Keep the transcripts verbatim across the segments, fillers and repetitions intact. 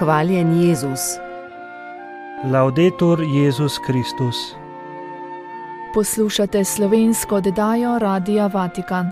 Hvaljen Jezus. Laudetur Jezus Kristus. Poslušate slovensko oddajo Radia Vatikan.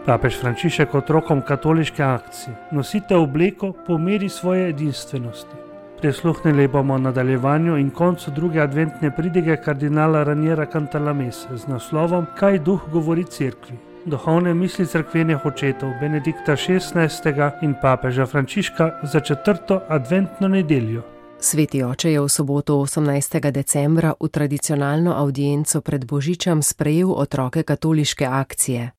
Papež Frančišek otrokom katoliške akcije: nosite obleko po meri svoje edinstvenosti. Prisluhnili bomo nadaljevanju in koncu druge adventne pridige kardinala Raniera Cantalamesse z naslovom Kaj duh govori cerkvi. Duhovne misli cerkvenih očetov Benedikta šestnajstega in papeža Frančiška za četrto adventno nedeljo. Sveti oče je v soboto osemnajstega decembra v tradicionalno avdienco pred Božičem sprejel otroke katoliške akcije.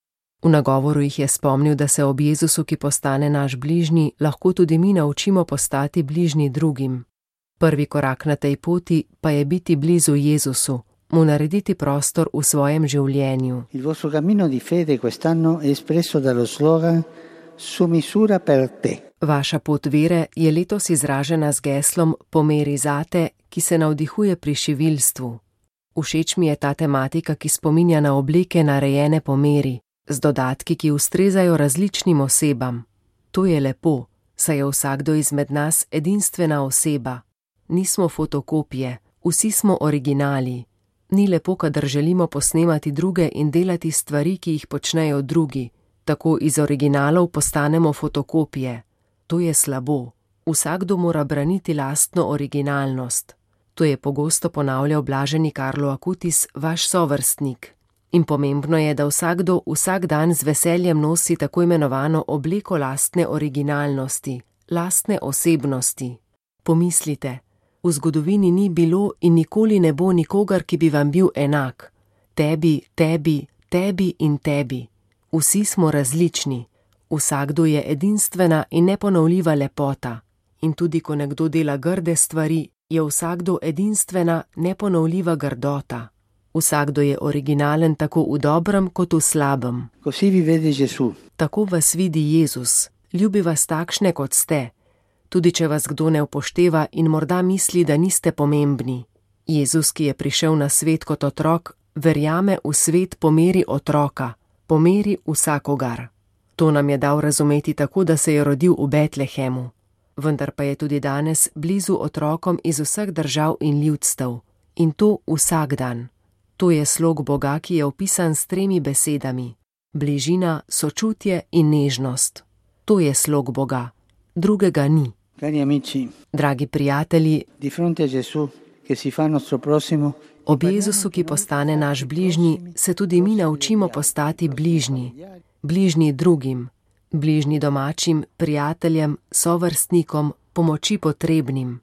V nagovoru jih je spomnil, da se ob Jezusu, ki postane naš bližnji, lahko tudi mi naučimo postati bližnji drugim. Prvi korak na tej poti pa je biti blizu Jezusu, mu narediti prostor v svojem življenju. Il vostro cammino di fede quest'anno è espresso dallo slogan Su misura per te. Vaša pot vere je letos izražena z geslom Pomeri zate, ki se navdihuje pri šivilstvu. Všeč mi je ta tematika, ki spominja na obleke narejene po meri, z dodatki, ki ustrezajo različnim osebam. To je lepo, saj je vsakdo izmed nas edinstvena oseba. Nismo fotokopije, vsi smo originali. Ni lepo, kadar želimo posnemati druge in delati stvari, ki jih počnejo drugi. Tako iz originalov postanemo fotokopije. To je slabo. Vsakdo mora braniti lastno originalnost. To je pogosto ponavljal blaženi Carlo Acutis, vaš sovrstnik. In pomembno je, da vsakdo vsak dan z veseljem nosi tako imenovano obleko lastne originalnosti, lastne osebnosti. Pomislite, v zgodovini ni bilo in nikoli ne bo nikogar, ki bi vam bil enak. Tebi, tebi, tebi in tebi. Vsi smo različni. Vsakdo je edinstvena in neponovljiva lepota. In tudi, ko nekdo dela grde stvari, je vsakdo edinstvena, neponovljiva grdota. Vsakdo je originalen tako v dobrem kot v slabem. Così vi vede Gesù. Tako vas vidi Jezus. Ljubi vas takšne, kot ste. Tudi če vas kdo ne upošteva in morda misli, da niste pomembni. Jezus, ki je prišel na svet kot otrok, verjame v svet po meri otroka, po meri vsakogar. To nam je dal razumeti tako, da se je rodil v Betlehemu. Vendar pa je tudi danes blizu otrokom iz vseh držav in ljudstev. In to vsak dan. To je slog Boga, ki je opisan s tremi besedami. Bližina, sočutje in nežnost. To je slog Boga. Drugega ni. Cari amici, dragi prijatelji, di fronte a Gesù, che si fa nostro prossimo, ob Jezusu, ki postane naš bližnji, se tudi mi naučimo postati bližnji. Bližnji drugim, bližnji domačim, prijateljem, sovrstnikom, pomoči potrebnim.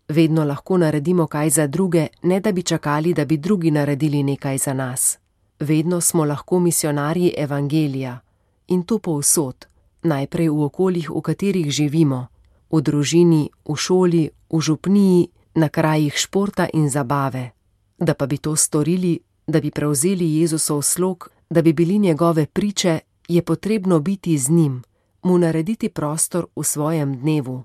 Vedno lahko naredimo kaj za druge, ne da bi čakali, da bi drugi naredili nekaj za nas. Vedno smo lahko misionarji evangelija. In to povsod, najprej v okoljih, v katerih živimo. V družini, v šoli, v župniji, na krajih športa in zabave. Da pa bi to storili, da bi prevzeli Jezusov slog, da bi bili njegove priče, je potrebno biti z njim, mu narediti prostor v svojem dnevu.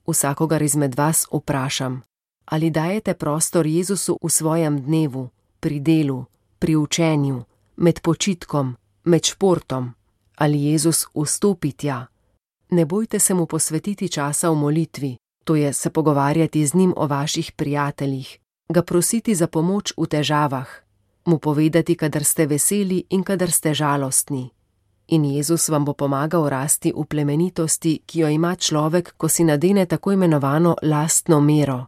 Vsakogar izmed vas vprašam, ali dajete prostor Jezusu v svojem dnevu, pri delu, pri učenju, med počitkom, med športom, ali Jezus vstopi tja. Ne bojte se mu posvetiti časa v molitvi, to je se pogovarjati z njim o vaših prijateljih, ga prositi za pomoč v težavah, mu povedati, kadar ste veseli in kadar ste žalostni. In Jezus vam bo pomagal rasti v plemenitosti, ki jo ima človek, ko si nadene tako imenovano lastno mero.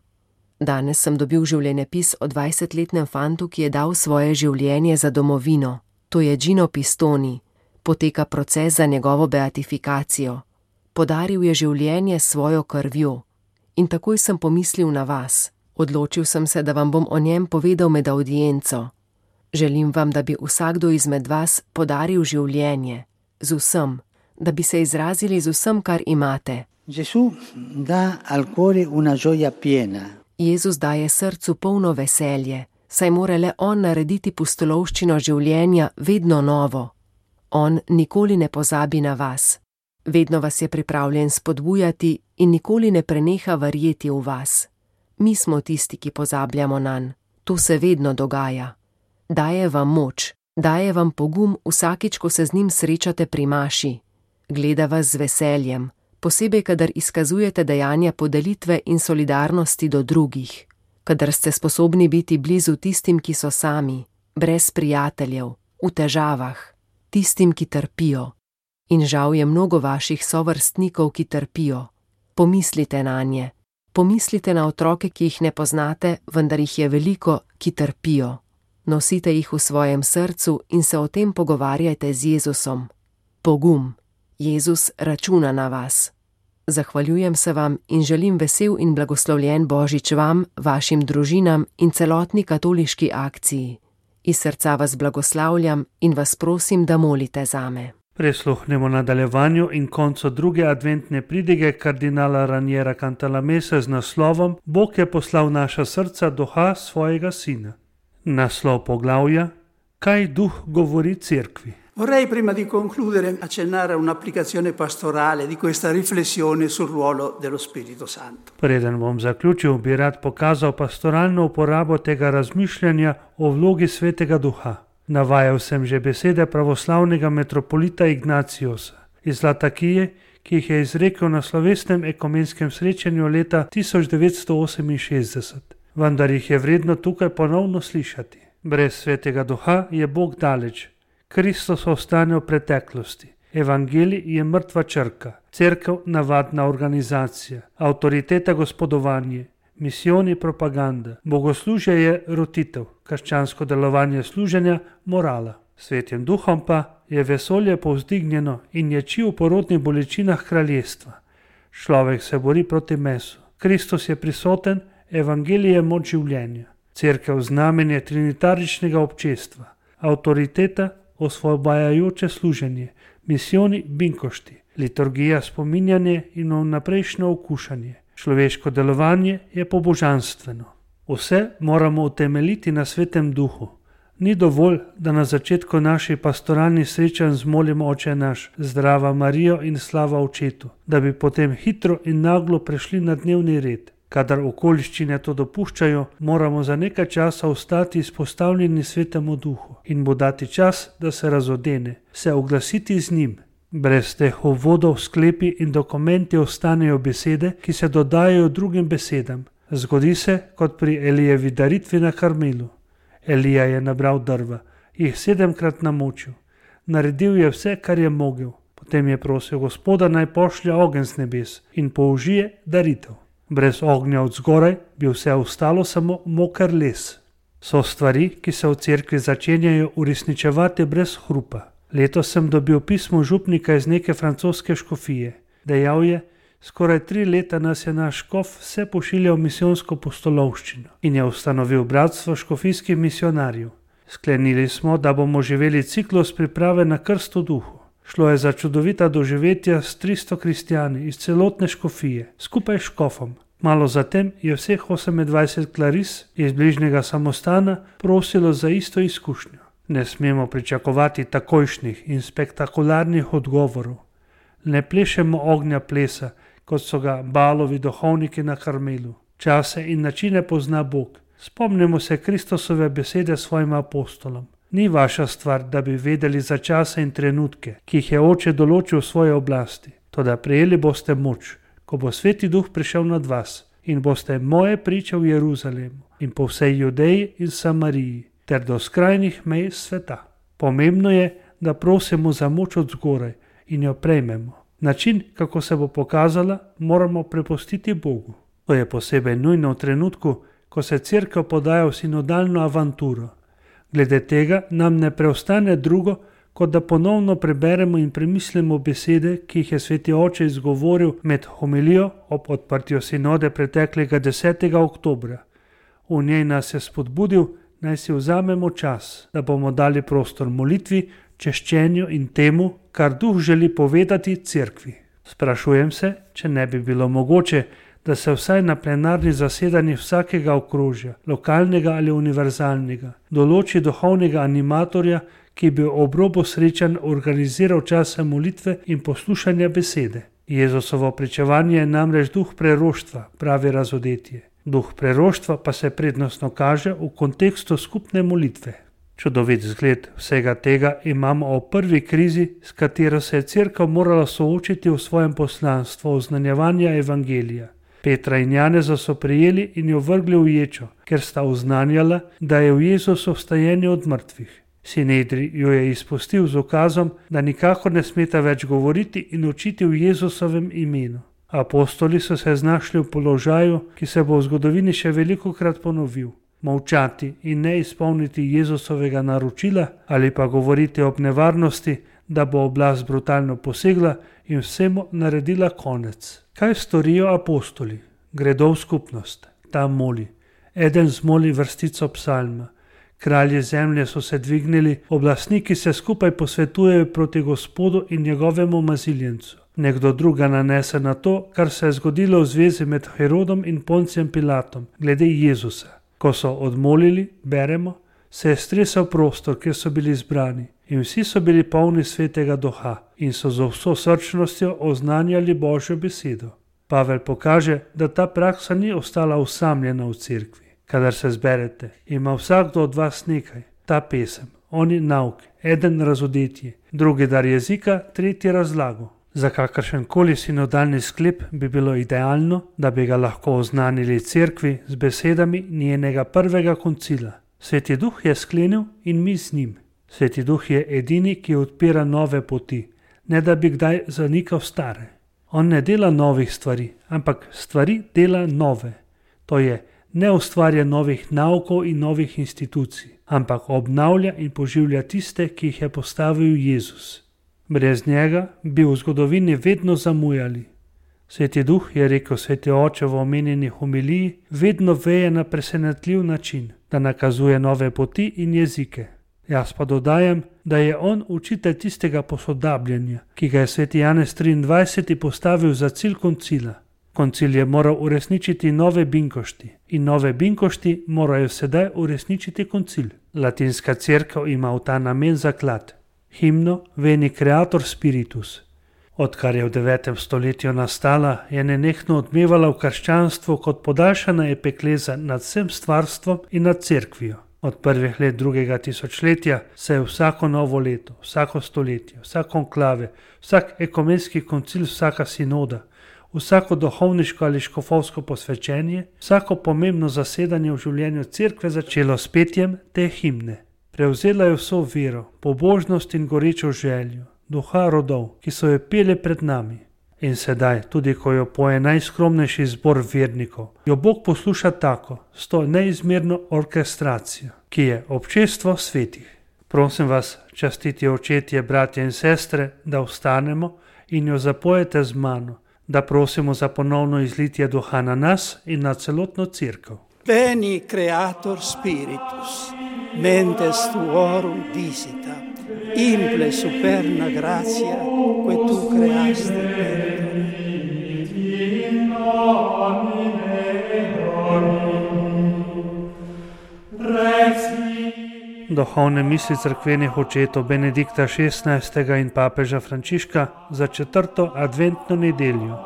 Danes sem dobil življenjepis o dvajsetletnem fantu, ki je dal svoje življenje za domovino. To je Gino Pistoni. Poteka proces za njegovo beatifikacijo. Podaril je življenje s svojo krvjo. In takoj sem pomislil na vas. Odločil sem se, da vam bom o njem povedal med avdienco. Želim vam, da bi vsakdo izmed vas podaril življenje, z vsem, da bi se izrazili z vsem, kar imate. Gesù dà al cuore una gioia piena. Jezus daje srcu polno veselje, saj mora le on narediti pustolovščino življenja vedno novo. On nikoli ne pozabi na vas. Vedno vas je pripravljen spodbujati in nikoli ne preneha verjeti v vas. Mi smo tisti, ki pozabljamo nanj. To se vedno dogaja. Daje vam moč, daje vam pogum vsakič, ko se z njim srečate pri maši. Gleda vas z veseljem, posebej kadar izkazujete dejanja podelitve in solidarnosti do drugih, kadar ste sposobni biti blizu tistim, ki so sami, brez prijateljev, v težavah, tistim, ki trpijo. In žal je mnogo vaših sovrstnikov, ki trpijo. Pomislite nanje. Pomislite na otroke, ki jih ne poznate, vendar jih je veliko, ki trpijo. Nosite jih v svojem srcu in se o tem pogovarjajte z Jezusom. Pogum. Jezus računa na vas. Zahvaljujem se vam in želim vesel in blagoslovljen Božič vam, vašim družinam in celotni katoliški akciji. Iz srca vas blagoslavljam in vas prosim, da molite zame. Prisluhnemo nadaljevanju in koncu druge adventne pridige kardinala Raniera Cantalamesse z naslovom Bog je poslal naša srca duha svojega sina. Naslov poglavja: Kaj duh govori cerkvi? Vorrei prima di concludere accennare a un'applicazione pastorale di questa riflessione sul ruolo dello Spirito Santo. Preden bom zaključil, bi rad pokazal pastoralno uporabo tega razmišljanja o vlogi Svetega Duha. Navajal sem že besede pravoslavnega metropolita Ignaciusa iz Latakije, ki jih je izrekel na slovesnem ekumenskem srečanju leta tisoč devetsto oseminšestdeset. Vendar jih je vredno tukaj ponovno slišati. Brez Svetega Duha je Bog daleč. Kristus ostane v preteklosti. Evangelij je mrtva črka, cerkev navadna organizacija, avtoriteta gospodovanje, misijoni propaganda, bogoslužje je rotitev, krščansko delovanje služenja morala. Svetim duhom pa je vesolje povzdignjeno in ječi v porodnih bolečinah kraljestva. Človek se bori proti mesu. Kristus je prisoten, evangelij je moč življenja. Cerkev znamenje trinitaričnega občestva, avtoriteta osvobajajoče služenje, misijoni binkošti, liturgija spominjanje in vnaprejšnje okušanje. Človeško delovanje je pobožanstveno. Vse moramo utemeljiti na Svetem Duhu. Ni dovolj, da na začetku naših pastoralnih srečanj zmolimo Oče naš, zdrava Marijo in slava Očetu, da bi potem hitro in naglo prešli na dnevni red. Kadar okoliščine to dopuščajo, moramo za nekaj časa ostati izpostavljeni Svetemu Duhu in mu dati čas, da se razodene, se oglasiti z njim. Brez teh uvodov, sklepi in dokumenti ostanejo besede, ki se dodajajo drugim besedam. Zgodi se kot pri Elijevi daritvi na Karmelu. Elija je nabral drva, jih sedemkrat namočil. Naredil je vse, kar je mogel. Potem je prosil Gospoda, naj pošlje ogenj z nebes in použije daritev. Brez ognja od zgoraj bi vse ostalo samo moker les. So stvari, ki se v cerkvi začenjajo uresničevati brez hrupa. Letos sem dobil pismo župnika iz neke francoske škofije. Dejal je, skoraj tri leta nas je naš škof vse pošiljal v misijonsko postolovščino in je ustanovil bratstvo škofijskih misionarjev. Sklenili smo, da bomo živeli ciklus priprave na krst v duhu. Šlo je za čudovita doživetja s tristo kristjani iz celotne škofije, skupaj s škofom. Malo zatem je vseh osemindvajset klaris iz bližnjega samostana prosilo za isto izkušnjo. Ne smemo pričakovati takojšnjih in spektakularnih odgovorov. Ne plešemo ognja plesa, kot so ga Baalovi duhovniki na Karmelu. Čase in načine pozna Bog. Spomnimo se Kristusove besede svojim apostolom. Ni vaša stvar, da bi vedeli za čase in trenutke, ki jih je Oče določil v svoje oblasti. Toda prejeli boste moč, ko bo Sveti Duh prišel nad vas in boste moje priče v Jeruzalemu in po vsej Judeji in Samariji ter do skrajnih mej sveta. Pomembno je, da prosimo za moč od zgoraj in jo prejmemo. Način, kako se bo pokazala, moramo prepustiti Bogu. To je posebej nujno v trenutku, ko se cerkev podaja v sinodalno avanturo. Glede tega nam ne preostane drugo, kot da ponovno preberemo in premislimo besede, ki jih je Sveti Oče izgovoril med homilijo ob odprtju sinode preteklega desetega oktobra. V njej nas je spodbudil, naj si vzamemo čas, da bomo dali prostor molitvi, češčenju in temu, kar Duh želi povedati cerkvi. Sprašujem se, če ne bi bilo mogoče, da se vsaj na plenarni zasedanji vsakega okrožja, lokalnega ali univerzalnega, določi duhovnega animatorja, ki bi ob robu srečanj organiziral čase molitve in poslušanja besede. Jezusovo pričevanje je namreč duh preroštva, pravi Razodetje. Duh preroštva pa se prednostno kaže v kontekstu skupne molitve. Čudovit zgled vsega tega imamo o prvi krizi, s katero se je Cerkev morala soočiti v svojem poslanstvu oznanjevanja evangelija. Petra in Janeza so prijeli in jo vrgli v ječo, ker sta oznanjala, da je v Jezusu vstajenje od mrtvih. Sinedri jo je izpustil z ukazom, da nikakor ne smeta več govoriti in učiti v Jezusovem imenu. Apostoli so se znašli v položaju, ki se bo v zgodovini še velikokrat ponovil. Molčati in ne izpolniti Jezusovega naročila ali pa govoriti ob nevarnosti, da bo oblast brutalno posegla in vsemu naredila konec. Kaj storijo apostoli? Gredo v skupnost. Tam moli. Eden zmoli vrstico psalma. Kralji zemlje so se dvignili, oblastniki se skupaj posvetujejo proti Gospodu in njegovemu maziljencu. Nekdo druga nanese na to, kar se je zgodilo v zvezi med Herodom in Poncijem Pilatom, glede Jezusa. Ko so odmolili, beremo, se je stresel prostor, kjer so bili zbrani, in vsi so bili polni svetega duha in so z vso srčnostjo oznanjali Božjo besedo. Pavel pokaže, da ta praksa ni ostala osamljena v cerkvi. Kadar se zberete, ima vsakdo od vas nekaj, ta pesem, oni nauk, eden razodetje, drugi dar jezika, tretji razlago. Za kakršen koli sinodalni sklep bi bilo idealno, da bi ga lahko oznanili cerkvi z besedami njenega prvega koncila. Sveti Duh je sklenil in mi z njim. Sveti Duh je edini, ki odpira nove poti, ne da bi kdaj zanikal stare. On ne dela novih stvari, ampak stvari dela nove. To je, ne ustvarja novih naukov in novih institucij, ampak obnavlja in poživlja tiste, ki jih je postavil Jezus. Brez njega bi v zgodovini vedno zamujali. Sveti Duh, je rekel sveti oče v omenjeni homiliji, vedno veje na presenetljiv način, da nakazuje nove poti in jezike. Jaz pa dodajam, da je on učitelj tistega posodabljanja, ki ga je sveti Janez triindvajseti postavil za cilj koncila. Koncil je moral uresničiti nove binkošti in nove binkošti morajo sedaj uresničiti koncil. Latinska cerkev ima v ta namen zaklad. Himno Veni Creator Spiritus. Odkar je v devetem stoletju nastala, je nenehno odmevala v krščanstvu kot podaljšana epikleza nad vsem stvarstvom in nad cerkvijo. Od prvih let drugega tisočletja se je vsako novo leto, vsako stoletje, vsak konklave, vsak ekumenski koncil, vsaka sinoda, vsako duhovniško ali škofovsko posvečenje, vsako pomembno zasedanje v življenju cerkve začelo s petjem te himne. Prevzela je vso vero, pobožnost in gorečo željo, duha rodov, ki so jo peli pred nami. In sedaj, tudi ko jo poje najskromnejši zbor vernikov, jo Bog posluša tako, s to neizmerno orkestracijo, ki je občestvo svetih. Prosim vas, častiti očetje, bratje in sestre, da vstanemo in jo zapojete z mano, da prosimo za ponovno izlitje duha na nas in na celotno cerkev. Veni Creator Spiritus, mentes tuorum disita, imple superna gratia, que tu creasti perdere. Duhovne misli cerkvenih očetov Benedikta šestnajstega in papeža Frančiška za četrto adventno nedeljo.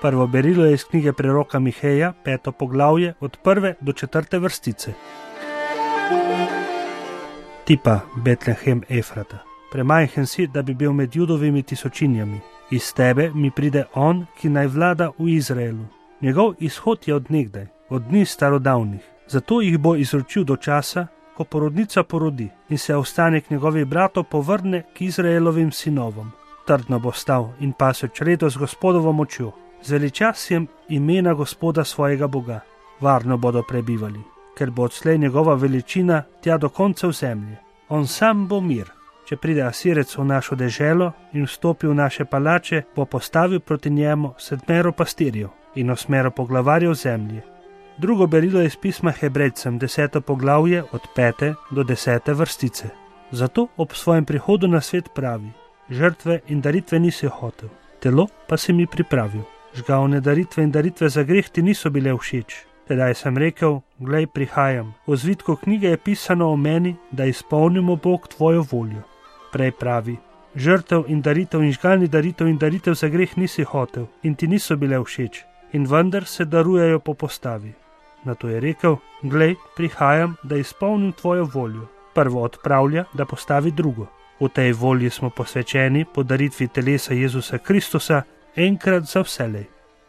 Prvo berilo je iz knjige preroka Miheja, peto poglavje, od prve do četrte vrstice. Ti pa, Betlehem Efrata, premajhen si, da bi bil med Judovimi tisočinjami. Iz tebe mi pride on, ki naj vlada v Izraelu. Njegov izhod je od nekdaj, od dni starodavnih. Zato jih bo izročil do časa, ko porodnica porodi in se ostanek njegovih bratov povrne k Izraelovim sinovom. Trdno bo stal in pasel čredo z Gospodovo močjo. Z veličastjem imena Gospoda svojega Boga. Varno bodo prebivali, ker bo odslej njegova veličina tja do koncev zemlje. On sam bo mir. Če pride Asirec v našo deželo in vstopi v naše palače, bo postavil proti njemu sedmero pastirjev in osmero poglavarjev zemlje. Drugo berilo je iz pisma Hebrejcem, deseto poglavje od pete do desete vrstice. Zato ob svojem prihodu na svet pravi: žrtve in daritve nisi hotel, telo pa si mi pripravil. Žgavne daritve in daritve za greh ti niso bile všeč. Tedaj sem rekel: glej, prihajam. V zvitku knjige je pisano o meni, da izpolnimo Bog tvojo voljo. Prej pravi: Žrtev in daritev in žgalnih daritev in daritev za greh nisi hotel in ti niso bile všeč, in vendar se darujejo po postavi. Nato je rekel: glej, prihajam, da izpolnim tvojo voljo. Prvo odpravlja, da postavi drugo. V tej volji smo posvečeni po daritvi telesa Jezusa Kristusa enkrat za vselej.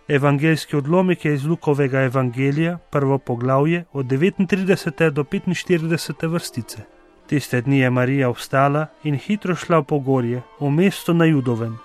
Evangeljski odlomek je iz Lukovega evangelija, prvo poglavje, od devetintridesete do petinštiridesete vrstice. Tiste dni je Marija vstala in hitro šla v pogorje, v mesto na Judovem.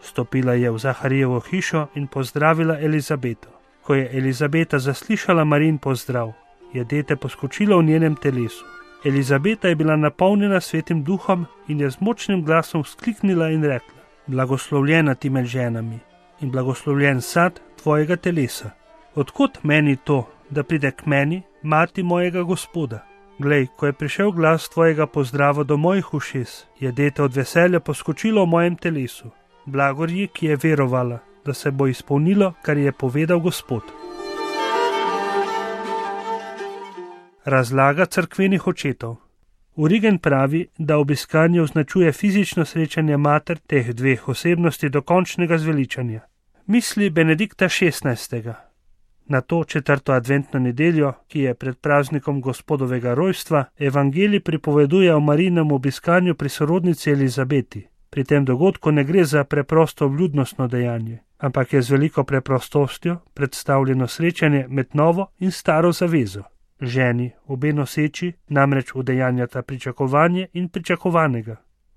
Stopila je v Zaharijevo hišo in pozdravila Elizabeto. Ko je Elizabeta zaslišala Marijin pozdrav, je dete poskočilo v njenem telesu. Elizabeta je bila napolnjena svetim duhom in je z močnim glasom vzkliknila in rekla: blagoslovljena ti med ženami in blagoslovljen sad tvojega telesa. Odkot meni to, da pride k meni mati mojega Gospoda? Glej, ko je prišel glas tvojega pozdrava do mojih ušes, je dete od veselja poskočilo v mojem telesu. Blagor ji, ki je verovala, da se bo izpolnilo, kar je povedal Gospod. Razlaga cerkvenih očetov. Origen pravi, da obiskanje označuje fizično srečanje mater teh dveh osebnosti do končnega zveličanja. Misli Benedikta šestnajstega. Na to četrto adventno nedeljo, ki je pred praznikom Gospodovega rojstva, evangelij pripoveduje o Marijinem obiskanju pri sorodnici Elizabeti. Pri tem dogodku ne gre za preprosto vljudnostno dejanje, ampak je z veliko preprostostjo predstavljeno srečanje med novo in staro zavezo. Ženi, obe noseči, namreč udejanjata pričakovanje in pričakovanega.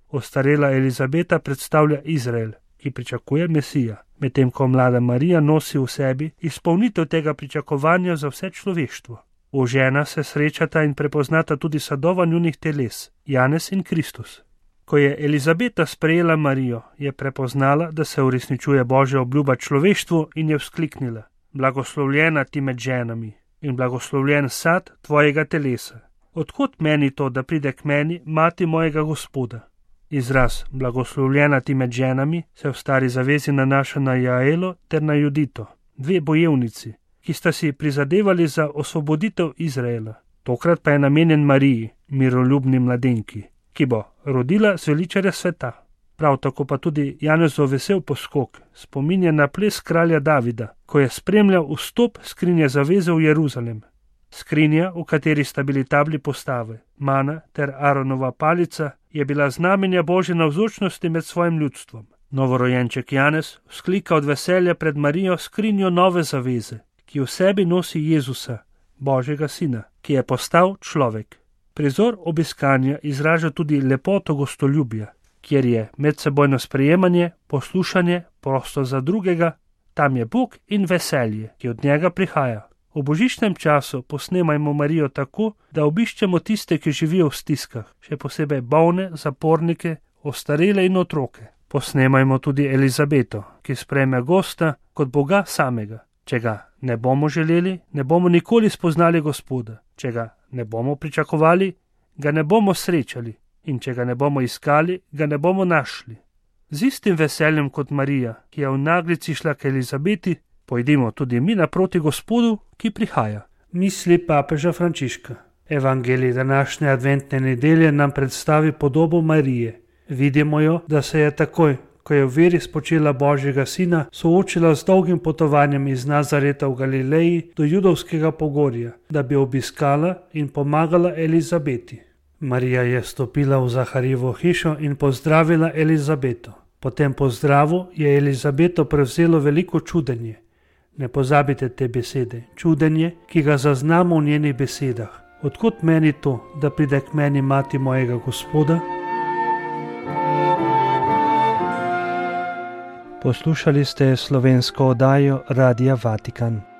Ostarela Elizabeta predstavlja Izrael, ki pričakuje Mesija, medtem ko mlada Marija nosi v sebi izpolnitev tega pričakovanja za vse človeštvo. V žena se srečata in prepoznata tudi sadova njunih teles, Janez in Kristus. Ko je Elizabeta sprejela Marijo, je prepoznala, da se uresničuje Božja obljuba človeštvu in je vzkliknila: blagoslovljena ti med ženami in blagoslovljen sad tvojega telesa. Odkot meni to, da pride k meni mati mojega Gospoda? Izraz blagoslovljena ti med ženami se v stari zavezi nanaša na Jaelo ter na Judito, dve bojevnici, ki sta si prizadevali za osvoboditev Izraela. Tokrat pa je namenjen Mariji, miroljubni mladenki, ki bo rodila zveličarja sveta. Prav tako pa tudi Janezov vesel poskok spominja na ples kralja Davida, ko je spremljal vstop skrinje zaveze v Jeruzalem. Skrinja, v kateri sta bili tabli postave, mana ter Aronova palica, je bila znamenja Božje navzočnosti med svojim ljudstvom. Novorojenček Janez vzklika od veselja pred Marijo skrinjo nove zaveze, ki v sebi nosi Jezusa, Božjega sina, ki je postal človek. Prizor obiskanja izraža tudi lepoto gostoljubja, kjer je medsebojno sprejemanje, poslušanje, prosto za drugega, tam je Bog in veselje, ki od njega prihaja. V božičnem času posnemajmo Marijo tako, da obiščemo tiste, ki živijo v stiskah, še posebej bolne, zapornike, ostarele in otroke. Posnemajmo tudi Elizabeto, ki sprejme gosta kot Boga samega. Če ga ne bomo želeli, ne bomo nikoli spoznali Gospoda. Če ga ne bomo pričakovali, ga ne bomo srečali. In če ga ne bomo iskali, ga ne bomo našli. Z istim veseljem kot Marija, ki je v naglici šla k Elizabeti, pojdimo tudi mi naproti Gospodu, ki prihaja. Misli papeža Frančiška. Evangelij današnje adventne nedelje nam predstavi podobo Marije. Vidimo jo, da se je takoj, ko je v veri spočela Božjega sina, soočila z dolgim potovanjem iz Nazareta v Galileji do Judovskega pogorja, da bi obiskala in pomagala Elizabeti. Marija je stopila v Zaharijevo hišo in pozdravila Elizabeto. Po tem pozdravu je Elizabeto prevzelo veliko čudenje. Ne pozabite te besede, čudenje, ki ga zaznamo v njenih besedah. Odkot meni to, da pride k meni mati mojega Gospoda? Poslušali ste slovensko oddajo Radia Vatikan.